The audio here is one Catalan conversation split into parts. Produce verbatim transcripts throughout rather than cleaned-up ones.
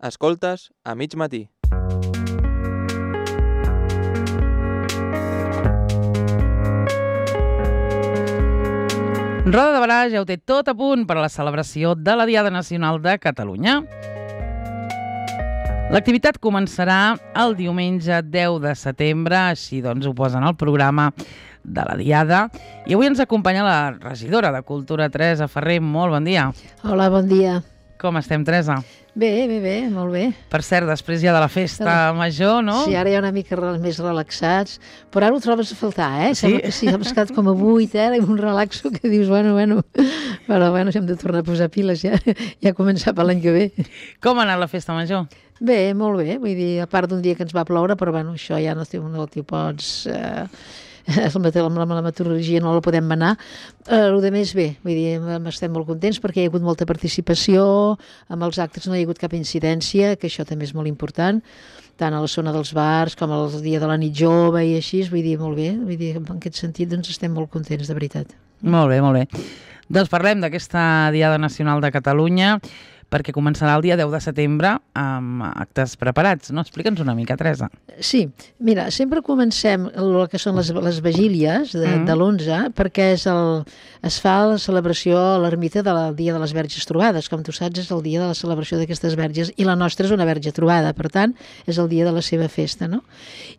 Escoltes a mig matí. Roda de Barà ja ho té tot a punt per a la celebració de la Diada Nacional de Catalunya. L'activitat començarà el diumenge deu de setembre, així doncs ho posen al programa de la Diada. I avui ens acompanya la regidora de Cultura, Teresa Ferrer. Molt bon dia. Hola, bon dia. Com estem, Teresa? Bé, bé, bé, molt bé. Per cert, després ja de la festa major, no? Sí, ara ja una mica més relaxats, però ara ho trobes a faltar, eh? Sí? Sembla que sí, hem estat com a vuit, eh? Un relaxo que dius, bueno, bueno, però bueno, si hem de tornar a posar piles ja, ja començar per l'any que ve. Com ha anat la festa major? Bé, molt bé, vull dir, a part d'un dia que ens va ploure, però bueno, això ja no t'ho no pots... Eh, amb la meteorologia no la podem manar. Eh, el de més bé, vull dir, estem molt contents perquè hi ha hagut molta participació, amb els actes no hi ha hagut cap incidència, que això també és molt important, tant a la zona dels bars com al dia de la nit jove i així, vull dir, molt bé, vull dir, en aquest sentit doncs estem molt contents, de veritat. Molt bé, molt bé. Doncs parlem d'aquesta Diada Nacional de Catalunya, perquè començarà el dia deu de setembre amb actes preparats, no? Explica'ns una mica, Teresa. Sí, mira, sempre comencem el que són les, les vigílies de, mm. de l'onze, perquè és el, es fa la celebració a l'ermita del dia de les Verges Trobades. Com tu saps, és el dia de la celebració d'aquestes verges, i la nostra és una verge trobada, per tant, és el dia de la seva festa, no?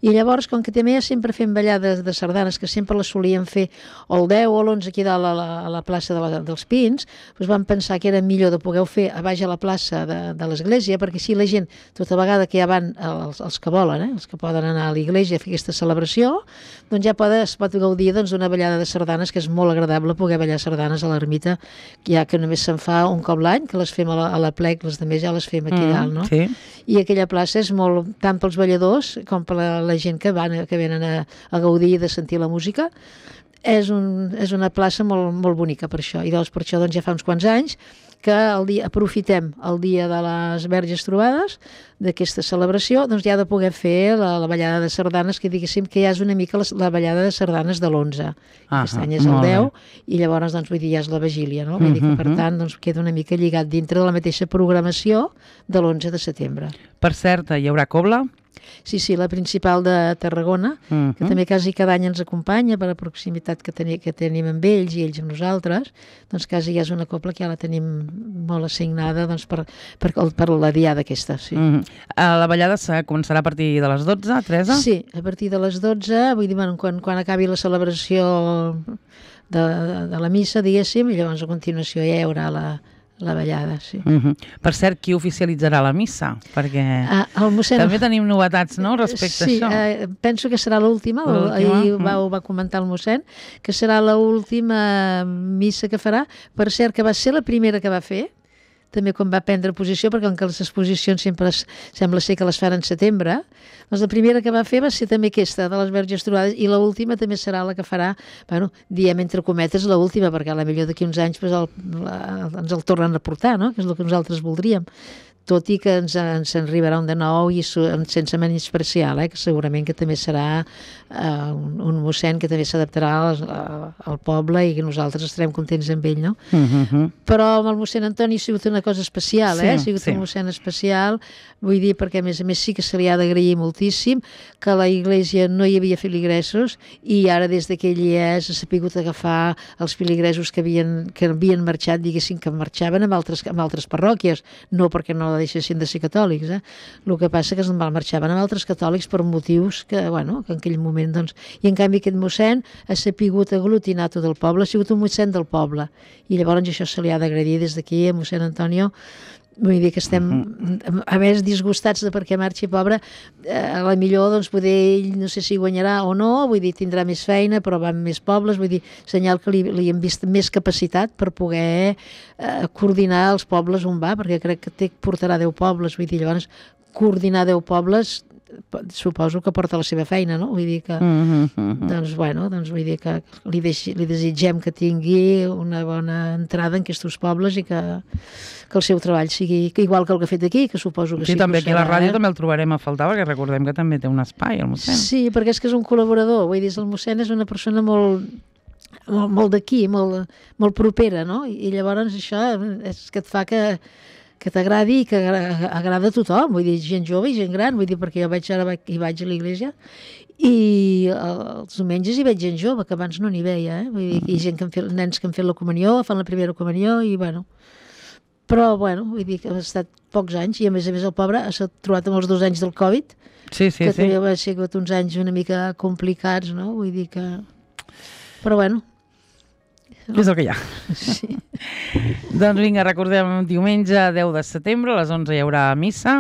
I llavors, com que també sempre fem ballades de sardanes, que sempre les solíem fer o el deu o l'onze aquí dalt a la, a la plaça de la, dels Pins, doncs vam pensar que era millor de poder fer a baix a la plaça de, de l'església, perquè així la gent, tota vegada que ja van els, els que volen, eh, els que poden anar a l'església a fer aquesta celebració, doncs ja pot, es pot gaudir doncs, d'una ballada de sardanes, que és molt agradable poder ballar sardanes a l'ermita, ja que només se'n fa un cop l'any, que les fem a la, a la plec, les també ja les fem aquí mm, dalt, no? Sí. I aquella plaça és molt, tant pels balladors com per la, la gent que, van, que venen a, a gaudir de sentir la música. És, un, és una plaça molt, molt bonica per això, i doncs per això doncs, ja fa uns quants anys que el dia, aprofitem el dia de les Verges Trobades, d'aquesta celebració, doncs ja de poder fer la, la ballada de sardanes, que diguéssim que ja és una mica la, la ballada de sardanes de l'onze. Aquest any és el deu, i llavors doncs, vull dir, ja és la vigília, no? Vull dir que, per tant, doncs, queda una mica lligat dintre de la mateixa programació de l'onze de setembre. Per cert, hi haurà cobla? Sí, sí, la principal de Tarragona, uh-huh. que també quasi cada any ens acompanya per la proximitat que, teni, que tenim amb ells i ells amb nosaltres, doncs quasi ja és una cobla que ja la tenim molt assignada doncs, per, per, per la diada aquesta. Sí. Uh-huh. La ballada començarà a partir de les dotze, Teresa? Sí, a partir de les dotze, vull dir, bueno, quan, quan acabi la celebració de, de, de la missa, diguéssim, i llavors a continuació ja hi haurà la la ballada, sí. Uh-huh. Per cert, qui oficialitzarà la missa? Perquè ah, el mossèn... també tenim novetats, no?, respecte sí, a això. Sí, eh, penso que serà l'última, ahir va, ho va comentar el mossèn, que serà l'última missa que farà. Per cert, que va ser la primera que va fer, també quan va prendre posició, perquè com que les exposicions sempre es, sembla ser que les fan en setembre, doncs la primera que va fer va ser també aquesta, de les Verges Trobades, i l'última també serà la que farà, bueno, diem entre cometes l'última, perquè a la millor d'aquí uns anys pues, el, la, ens el tornen a portar, no?, que és el que nosaltres voldríem. Tot i que ens, ens en arribarà un de nou i su, sense menyspreciar, eh, que segurament que també serà uh, un, un mossèn que també s'adaptarà al, al poble i que nosaltres estarem contents amb ell, no? Uh-huh. Però amb el mossèn Antoni ha sigut una cosa especial, eh? Sí, ha sigut sí. un mossèn especial, vull dir, perquè a més a més sí que se li ha d'agrair moltíssim que a la iglesia no hi havia filigressos i ara des que ell hi és ha sapigut agafar els filigressos que havien, que havien marxat, diguéssim, que marxaven amb altres, amb altres parròquies, no perquè no deixessin de ser catòlics, eh? El que passa que es marxaven amb altres catòlics per motius que, bueno, que en aquell moment, doncs... I en canvi aquest mossèn ha sapigut aglutinar tot el poble, ha sigut un mossèn del poble, i llavors això se li ha d'agradir des d'aquí a mossèn Antonio. Vull dir que estem, uh-huh. a més, disgustats de perquè marxi, pobre, eh, a la millor, doncs, poder ell, no sé si guanyarà o no, vull dir, tindrà més feina, però va amb més pobles, vull dir, senyal que li, li hem vist més capacitat per poder eh, coordinar els pobles on va, perquè crec que té, portarà deu pobles, vull dir, llavors, coordinar deu pobles suposo que porta la seva feina, no? Vull dir que, uh-huh. doncs, bueno, doncs vull dir que li, deixi, li desitgem que tingui una bona entrada en aquests pobles i que, que el seu treball sigui que igual que el que ha fet aquí, que suposo que sí. Sí, també aquí a la ràdio eh? també el trobarem a faltar, perquè recordem que també té un espai, el mossèn. Sí, perquè és que és un col·laborador, vull dir, el mossèn és una persona molt... molt, molt d'aquí, molt, molt propera, no? I llavors això és que et fa que, que t'agradi i que agra- agrada a tothom, vull dir, gent jove i gent gran, vull dir, perquè jo vaig ara vaig- hi vaig a l'església i els diumenges hi veig gent jove, que abans no n'hi veia, eh? Vull dir, hi ha gent que han fet, nens que han fet la comunió, fan la primera comunió i, bueno, però, bueno, vull dir que ha estat pocs anys i, a més a més, el pobre s'ha trobat amb els dos anys del Covid, Sí, sí, que sí. també va ser uns anys una mica complicats, no? Vull dir que... Però, bueno, És el que hi ha. sí. Doncs vinga, recordem, diumenge deu de setembre, a les onze hi haurà missa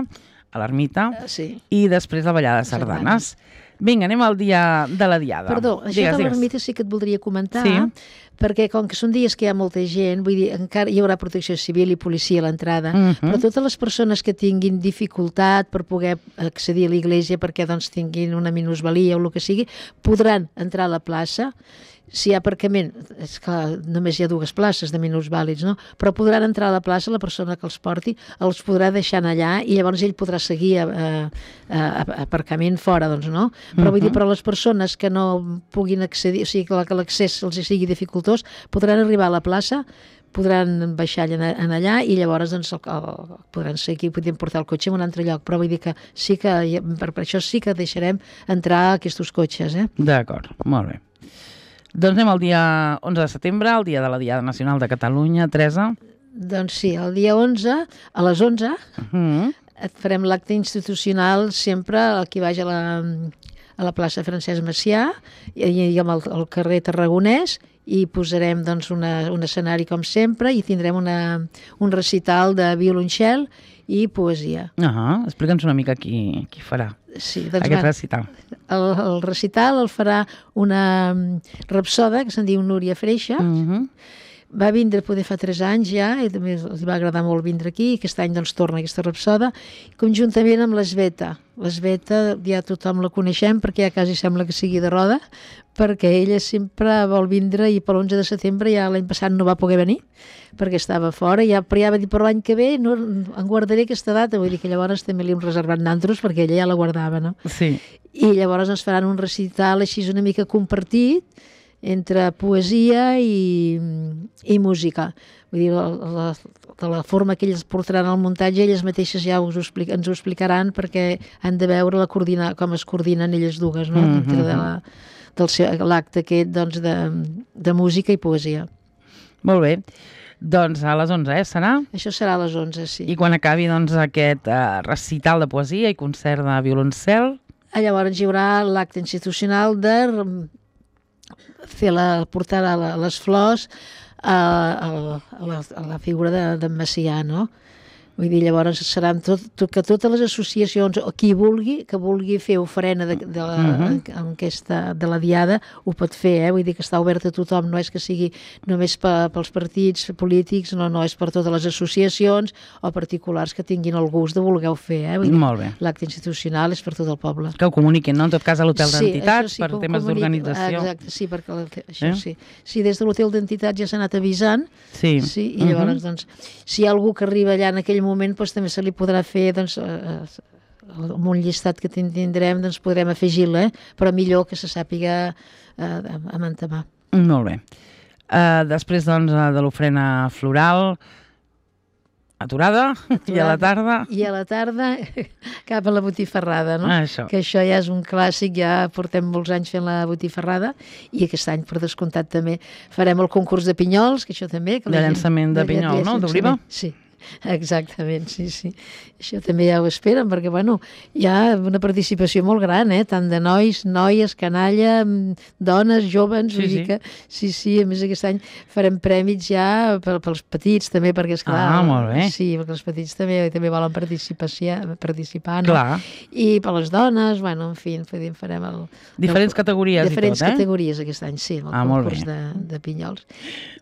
a l'ermita sí. i després la ballada de sardanes. Vinga, anem al dia de la diada. Perdó, això Digues, de digues. l'ermita sí que et voldria comentar, Sí. perquè com que són dies que hi ha molta gent, vull dir, encara hi haurà protecció civil i policia a l'entrada, Mhm. però totes les persones que tinguin dificultat per poder accedir a l'església perquè doncs tinguin una minusvalia o el que sigui, podran entrar a la plaça. Si hi ha aparcament, és clar, només hi ha dues places de minusvàlids, no? Però podran entrar a la plaça, la persona que els porti els podrà deixar allà i llavors ell podrà seguir a, a, a, a aparcament fora, doncs, no? Però vull dir, però les persones que no puguin accedir, o sigui, que la- que l'accés els hi sigui dificultós, podran arribar a la plaça, podran baixar allà, en allà i llavors doncs, el, el, podran seguir, podem portar el cotxe a un altre lloc, però vull dir que sí que, per, per això sí que deixarem entrar aquests cotxes, eh? D'acord, molt bé. Doncs anem al dia onze de setembre, el dia de la Diada Nacional de Catalunya. Teresa? Doncs sí, el dia onze, a les onze, Mm. et farem l'acte institucional sempre aquí baix a la, a la plaça Francesc Macià i, i amb el, el carrer Tarragonès i posarem doncs, una, un escenari com sempre i tindrem una, un recital de violoncel i poesia. Ah, explica'ns una mica qui, qui farà Sí, doncs, aquest va, recital. el, el recital el farà una mm, rapsoda que se'n diu Núria Freixa. Mhm. Va vindre poder fa tres anys ja, i també els va agradar molt vindre aquí, i aquest any doncs torna aquesta rapsoda, conjuntament amb l'Esbeta. L'Esbeta ja tothom la coneixem perquè ja quasi sembla que sigui de Roda, perquè ella sempre vol vindre i per l'onze de setembre ja l'any passat no va poder venir, perquè estava fora, ja, però ja va dir per l'any que ve no, en guardaré aquesta data, vull dir que llavors també li hem reservat nantros perquè ella ja la guardava, no? Sí. I llavors ens faran un recital així una mica compartit entre poesia i, i música. Vull dir, la, la, de la forma que ells portaran el muntatge, elles mateixes ja us ho explic, ens ho explicaran perquè han de veure la coordina, com es coordinen elles dues, no? Mhm. Dintre de la, del seu, l'acte aquest doncs, de, de música i poesia. Molt bé. Doncs a les onze, eh, serà? Això serà a les onze, sí. I quan acabi doncs, aquest eh, recital de poesia i concert de violoncel... Ah, llavors hi haurà l'acte institucional de fer la, portar a la, les flors a, a, a, la, a la figura d'en de, Macià, no? Vull dir, llavors seran tot, tot, que totes les associacions, o qui vulgui, que vulgui fer ofrena de, de, la, Mhm. en, en aquesta, de la diada, ho pot fer, eh? Vull dir que està obert a tothom, no és que sigui només pe, pels partits polítics, no, no, és per totes les associacions o particulars que tinguin el gust de voler fer, eh? Vull dir, Molt bé. l'acte institucional és per tot el poble. Que ho comuniquin, no? En tot cas, a l'hotel Sí, d'entitats, això sí per que ho temes comunico. d'organització. Exacte, sí, perquè la, això Eh? sí. Sí, des de l'hotel d'entitats ja s'ha anat avisant, Sí. sí, i llavors, Mhm. doncs, si hi ha algú que arriba allà en aquell moment, doncs també se li podrà fer, doncs, eh, amb un llistat que tindrem, doncs podrem afegir-la, eh? Però millor que se sàpiga eh, a mantemar. Molt bé. Uh, després, doncs, eh, de l'ofrena floral, aturada, i a la tarda... I a la tarda cap a la botifarrada, no? Ah, això. Que això ja és un clàssic, ja portem molts anys fent la botifarrada i aquest any, per descomptat, també farem el concurs de pinyols, que això també... Que De la gent- llançament de pinyol, no? D'oliva? Sí, exactament, sí, sí. Això també ja ho esperen, perquè, bueno, hi ha una participació molt gran, eh? Tant de nois, noies, canalla, mm, dones, joves, Sí, vull dir sí. que... Sí, sí, a més aquest any farem prèmits ja per, pels petits, també, perquè, esclar... Ah, molt bé. Sí, perquè els petits també també volen participació, participar, no? Clar. I per les dones, bueno, en fi, farem farem el... Diferents el, categories diferents i tot, eh? categories aquest any, sí, el Ah, molt concurs bé. de, de pinyols.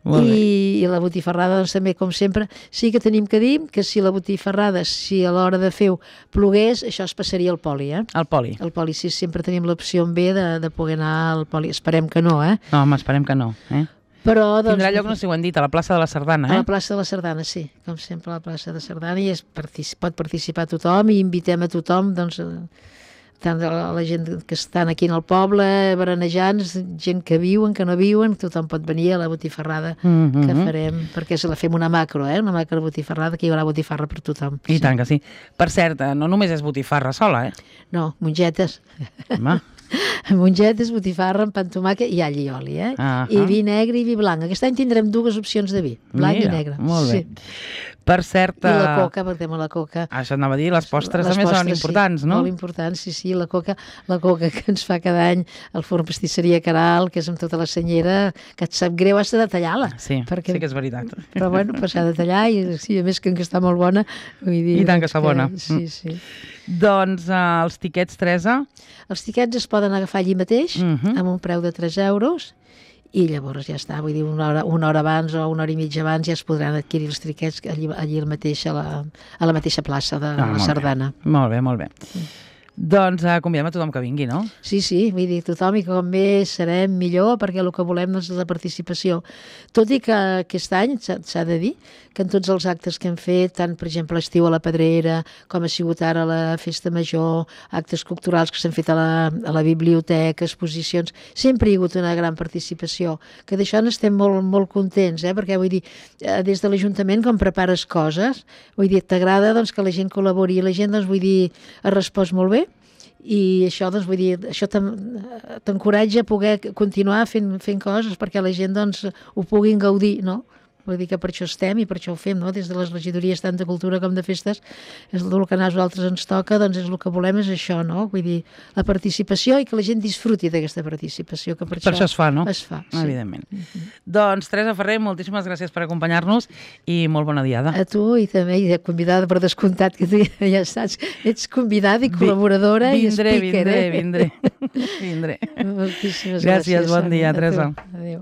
Molt bé. I, I la botifarrada, doncs també, com sempre, sí que tenim que dir que si la botifarrada, si a l'hora de fer-ho plogués, això es passaria al poli, eh? El poli. El poli, sí, sempre tenim l'opció en B de, de poder anar al poli. Esperem que no, eh? No, home, esperem que no. Eh? Però, doncs, Tindrà lloc, no sé si ho hem dit, a la plaça de la Sardana, a eh? la plaça de la Sardana, sí, com sempre a la plaça de Sardana, i es partici pot participar tothom i invitem a tothom, doncs, a tant la, la gent que estan aquí en el poble, berenejants, gent que viuen, que no viuen, tothom pot venir a la botifarrada Mm-hmm. que farem, perquè se la fem una macro, eh? una macro botifarrada, que hi haurà botifarra per tothom. I tant que sí. Per cert, eh, no només és botifarra sola, eh? No, mongetes. Home, Mongetes, botifarra amb pa amb tomàquet i all i oli, eh? Ahà. I vi negre i vi blanc. Aquest any tindrem dues opcions de vi, blanc mira, i negre. molt bé. Sí. Per cert... I la eh, coca, perquè amb la coca... Això anava a dir, les postres Les també són postres, importants, sí, no? Molt importants, sí, sí. La coca, la coca que ens fa cada any el forn pastisseria Caral, que és amb tota la senyera, que et sap greu, has de detallar-la. Sí, perquè... sí que és veritat. Però bueno, pues s'ha de tallar i sí, a més que està molt bona. Vull dir, I tant que doncs està bona. Sí, sí. Doncs eh, els tiquets, Teresa... Els tiquets es poden agafar allí mateix, Mhm. amb un preu de tres euros, i llavors ja està, vull dir, una hora, una hora abans o una hora i mitja abans ja es podran adquirir els tiquets allí, allí al mateix, a, la, a la mateixa plaça de Ah, la molt bé. Sardana. Molt bé, molt bé. Doncs eh, convidem a tothom que vingui, no? Sí, sí, vull dir, tothom, i com més serem millor, perquè el que volem és la participació. Tot i que aquest any, s'ha s'ha de dir, que en tots els actes que hem fet, tant, per exemple, l'estiu a la Pedrera, com ha sigut ara la Festa Major, actes culturals que s'han fet a la, a la biblioteca, exposicions, sempre hi ha hagut una gran participació, que d'això n'estem molt, molt contents, eh? Perquè, vull dir, eh, des de l'Ajuntament, com prepares coses, vull dir, t'agrada doncs, que la gent col·labori, i la gent, doncs, vull dir, ha respost molt bé, i això, doncs, vull dir, això t'en- t'encoratja a poder continuar fent, fent coses perquè la gent, doncs, ho puguin gaudir, no? Vull dir que per això estem i per això ho fem, no? Des de les regidories tant de cultura com de festes, és el que a nosaltres ens toca, doncs és el que volem és això, no? Vull dir, la participació i que la gent disfruti d'aquesta participació, que per, Per això es fa, no? Es fa, sí. Evidentment. Doncs, Teresa Ferrer, moltíssimes gràcies per acompanyar-nos i molt bona diada. A tu i també i de convidada per descomptat, que tu ja saps, ets convidada i col·laboradora Vindré, i speaker, vindré, eh? vindré, vindré. Moltíssimes Gràcies, gràcies. bon dia, Sonia. A tu. Teresa. Adéu.